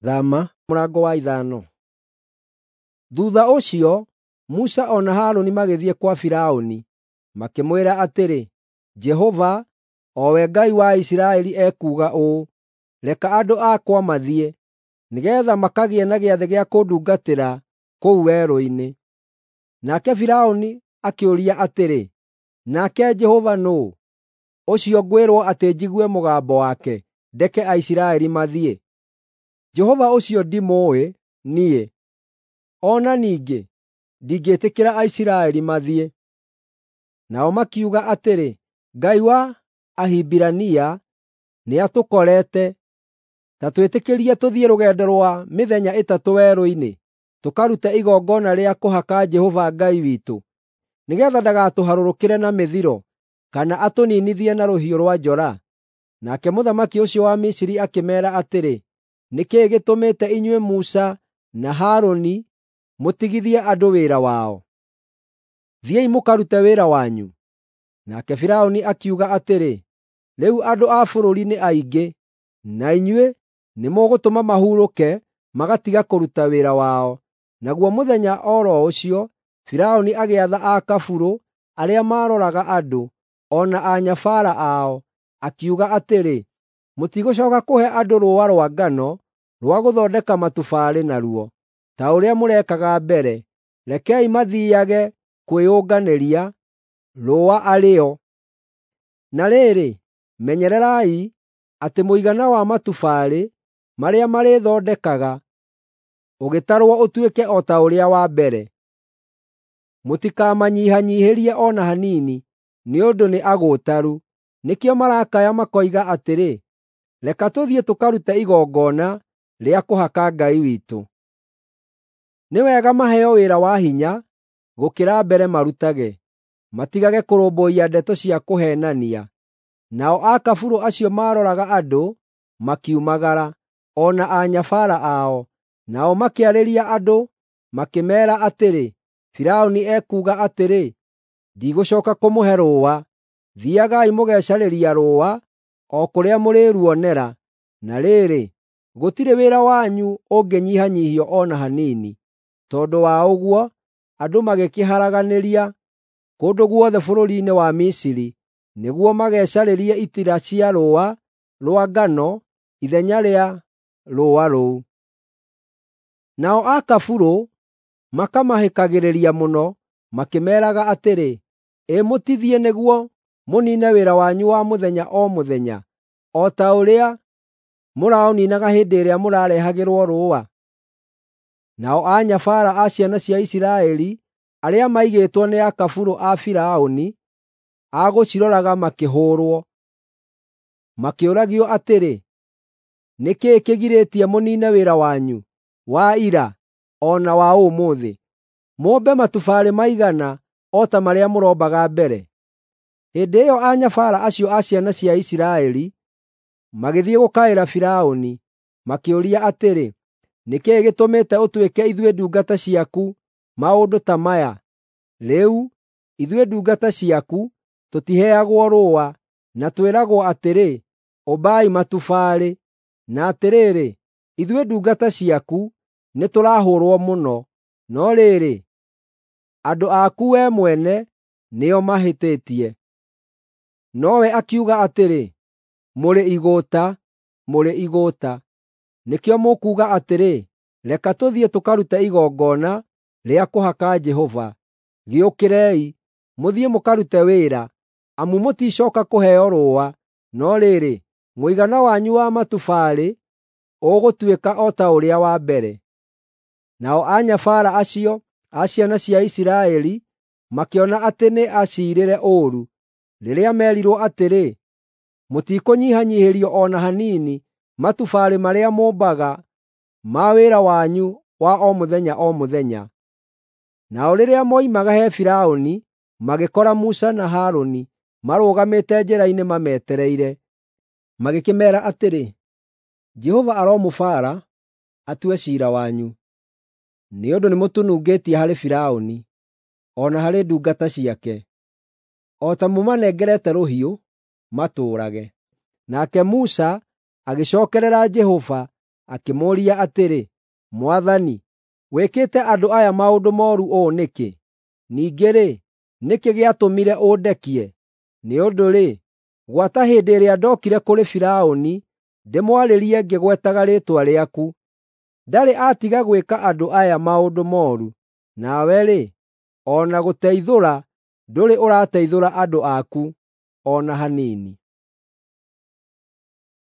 Thama mũrango wa 5. Thuutha ũcio Musa o na Harũni magĩthiĩ kwa Firaũni, makĩmwĩra atĩrĩ, “Jehova, o we Ngai wa Isiraeli ekuuga ũũ: ‘Reka andũ akwa mathiĩ, nĩgeetha makagĩe na gĩathĩ gĩa kũndungatĩra kũu werũ-inĩ.’ ” Nake Firaũni akĩũria atĩrĩ, “Nake Jehova nũũ, ũcio ngwĩrwo atĩ njigue mũgambo wake ndeke Aisiraeli mathiĩ? Jehova ũcio ndimũũĩ niĩ, o na ningĩ ndingĩĩtĩkĩra Aisiraeli mathiĩ.” Nao makiuga atĩrĩ, “Ngai wa Ahibirania nĩatũkorete. Ta twĩtĩkĩrie tũthiĩ rũgendo rwa mĩthenya 3 werũ-inĩ, tũkarute igongona rĩa kũhaka Jehova Ngai witũ, nĩgeetha ndagatũharũrũkĩre na mĩthiro kana atũniinithie na rũhiũ rwa njora.” Nake mũthamaki ũcio wa Misiri akĩmeera atĩrĩ, “Nĩ kĩĩ gĩtũmĩte inyuĩ Musa na Harũni mũtigithie andũ wĩra wao? Thiĩi mũkarute wĩra wanyu.” Nake Firaũni akiuga atĩrĩ, “Rĩu andũ a bũrũri nĩ aingĩ, na inyuĩ nĩmũgũtũma mahurũke magatiga kũruta wĩra wao.” Naguo mũthenya o ro ũcio Firaũni agĩatha akaburũ arĩa maaroraga andũ, o na anyabara ao, akiuga atĩrĩ, “Mũtigũcooka kũhe andũ rũũa rwa ngano rwa gũthondeka matubarĩ naruo, ta ũrĩa mũrekaga mbere. Rekei mathiiage kwĩyũnganĩria rũũa arĩ o. Na rĩrĩ, menyererai atĩ mũigana wa matubarĩ marĩa marĩthondekaga ũgĩtarwo ũtuĩke o ta ũrĩa wa mbere. Mũtikamanyihanyiihĩrie o na hanini, nĩ ũndũ nĩ agũũtaru. Nĩkĩo marakaya makoiga atĩrĩ, ‘Reka tũthiĩ tũkarute igongona rĩa kũhaka Ngai witũ.’ Nĩ wega maheo wĩra wa hinya gũkĩra mbere marutage, matigage kũrũmbũiya ndeto cia kũheenania.” Nao akaburũ acio maaroraga andũ makiumagara, o na anyabara ao, nao makĩarĩria andũ makĩmeera atĩrĩ, “Firaũni ekuuga atĩrĩ, ‘Ndigũcooka kũmũhe rũũa. Thiiagai mũgecarĩria rũũa o kũrĩa mũrĩruonera, na rĩrĩ, gũtirĩ wĩra wanyu ũngĩnyihanyiihio o na hanini.’ ” Tondũ wa ũguo andũ magĩkĩharaganĩria kũndũ guothe bũrũri-inĩ wa Misiri nĩguo magecarĩrie itira cia rũũa rwa ngano ithenya rĩa rũũa rũu. Nao akaburũ makamahĩkagĩrĩria mũno makĩmeeraga atĩrĩ, “Ĩ mũtithiĩ nĩguo mũniine wĩra wanyu wa mũthenya o mũthenya, o ta ũrĩa mũraũniinaga hĩndĩ ĩrĩa mũrarehagĩrwo rũũa?” Nao anyabara a ciana cia Isiraeli arĩa maigĩtwo nĩ akaburũ a Firaũni a gũciroraga makĩhũũrwo. Makĩũragio atĩrĩ, “Nĩ kĩĩ kĩgirĩtie mũniine wĩra wanyu wa ira o na wa ũmũthĩ, mũmbe matubarĩ maigana o ta marĩa mũrombaga mbere?” Hĩndĩ ĩyo anyabara acio a ciana cia Isiraeli magĩthiĩ gũkaĩra Firaũni, makĩũria atĩrĩ, “Nĩ kĩĩ gĩtũmĩte ũtwĩke ithuĩ ndungata ciaku maũndũ ta maya? Rĩu, ithuĩ ndungata ciaku tũtiheagwo rũũa, na twĩragwo atĩrĩ, ‘Ũmbai matubarĩ!’ Na atĩrĩrĩ, ithuĩ ndungata ciaku nĩtũrahũũrwo mũno. No rĩrĩ, andũ aku wee mwene nĩo mahĩtĩtie.” Nowe akiuga atĩrĩ, “Mũrĩ igũũta, mũrĩ igũũta! Nĩkĩo mũkuuga atĩrĩ, ‘Reka tũthiĩ tũkarute igongona rĩa kũhaka Jehova.’ Gĩũkĩrei, mũthiĩ mũkarute wĩra, amu mũticooka kũheo rũũa, no rĩrĩ, mũigana wanyu wa matubarĩ ũgũtuĩka o ta ũrĩa wa mbere.” Nao anyabara acio a ciana cia Isiraeli makĩona atĩ nĩ aciirĩre ũũru rĩrĩa meerirwo atĩrĩ, “Mũtikũnyihanyiihĩrio o na hanini matubarĩ marĩa mũmbaga ma wĩra wanyu wa o mũthenya o mũthenya.” Nao rĩrĩa moimaga he Firaũni, magĩkora Musa na Harũni marũgamĩte njĩra-inĩ mametereire. Magĩkĩmeera atĩrĩ, “Jehova aromũbaara atue ciira wanyu, nĩ ũndũ nĩmũtũnungĩtie harĩ Firaũni, o na harĩ ndungata ciake, o ta mũmanengerete rũhiũ matũũrage.” Nake Musa agĩcookerera Jehova, akĩmũũria atĩrĩ, “Mwathani, wĩkĩte andũ aya maũndũ mooru ũũ nĩkĩ? Ningĩ-rĩ, nĩ kĩĩ gĩatũmire ũndekie? Nĩ ũndũ-rĩ, gwata hĩndĩ ĩrĩa ndookire kũrĩ Firaũni ndĩmwarĩrie ngĩgwetaga rĩĩtwa rĩaku, ndarĩ atiga gwĩka andũ aya maũndũ mooru. Nawe-rĩ, o na gũteithũra ndũrĩ ũrateithũra andũ aku, o na hanini.”